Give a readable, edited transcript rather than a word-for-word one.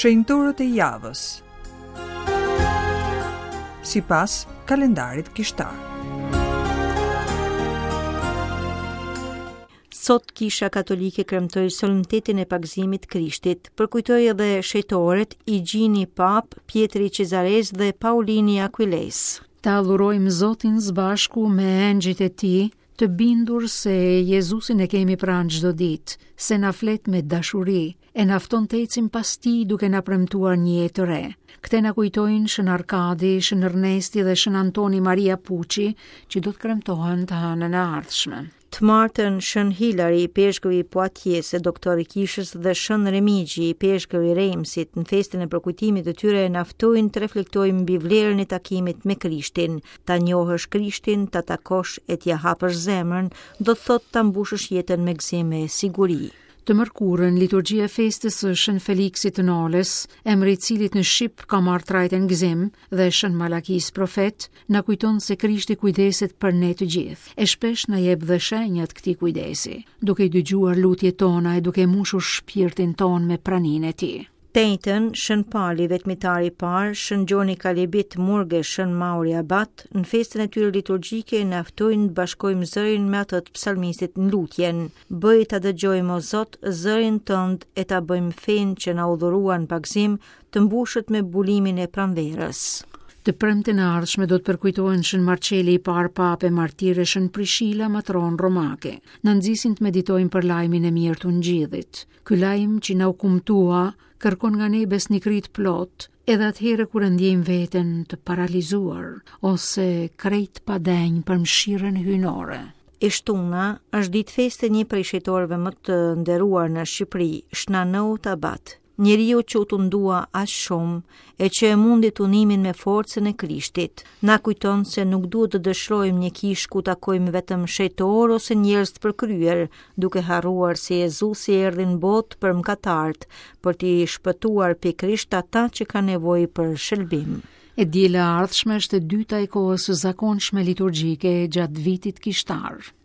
Shenjtorët e javës. Sipas kalendarit kishtar. Sot Kisha Katolike kremtoi solemnitetin e pagëzimit të Krishtit. Përkujtoi edhe shenjtorët Igjini Papë, Pjetri i Cezaresë dhe Paulini i Akuilesë. Ta adhurojmë Zotin së bashku me engjëjt e tij, të bindur se Jezusin e kemi pranë çdo ditë, se na flet me dashuri, e na fton të ecim pas tij duke na premtuar një jetë të re. Këtë na kujtojnë Shën Arkadi, Shën Ernesti dhe Shën Antoni Maria Puçi, që do të kremtohen të hënën e ardhshme. Të martën, Shën Hilari, ipeshkëv i Poatjesë, doktor i Kishës dhe Shën Remigji, ipeshkëv i Reimsit, në festën e përkujtimit të tyre na ftojnë të reflektojmë mbi vlerën e takimit me Krishtin. Ta njohësh Krishtin, ta takosh e t'ia hapësh zemrën, do të thotë ta mbushësh jetën me gëzim e siguri. Të mërkurën, liturgjia e festës së Shën Feliksit të Nolës, emri i cilit në shqip ka marrë trajtën Gëzim dhe Shën Malakisë profet, na kujton se Krishti kujdeset për ne të gjithë, e shpesh na jep dhe shenja të këtij kujdesi, duke i dëgjuar lutjet tona e duke mbushur shpirtin tonë me praninë e tij. Të enjten, Shën Pali, vetmitari i parë, Shën Gjoni Kalebit, murg e Shën Mauri Abat, në festën e tyre liturgjike na ftojnë të bashkojmë zërin me atë të psalmistit në lutjen. Bëj ta dëgjojmë o Zot zërin tënd e ta bëjmë fenë që na u dhurua në pagëzim të mbushet me bulimin e pranverës. Të premten e ardhshme do të përkujtohen Shën Marçeli i parë papë e martir e Shën Prishila matronë romake. Na nxisin të meditojmë për lajmin e mirë të Ungjillit. Ky lajm që na u kumtua kërkon nga ne besnikëri të plotë, edhe atëherë kur e ndjejmë veten të paralizuar ose krejt të padenjë për mëshirën hyjnore. E shtuna është ditë feste një prej shenjtorëve më të nderuar në Shqipëri, Shna Nout Abat. Njeriu që u tundua aq shumë e që e mundi tundimin me forcën e Krishtit. Na kujton se nuk duhet të dëshirojmë një kishë ku takojmë vetëm shenjtorë ose njerëz të përkryer, duke harruar se Jezusi erdhi në botë për mëkatarët, për t'i shpëtuar pikërisht ata që kanë nevojë për shëlbim. E diela e ardhshme është e dyta e kohës së zakonshme liturgjike gjatë vitit kishtar.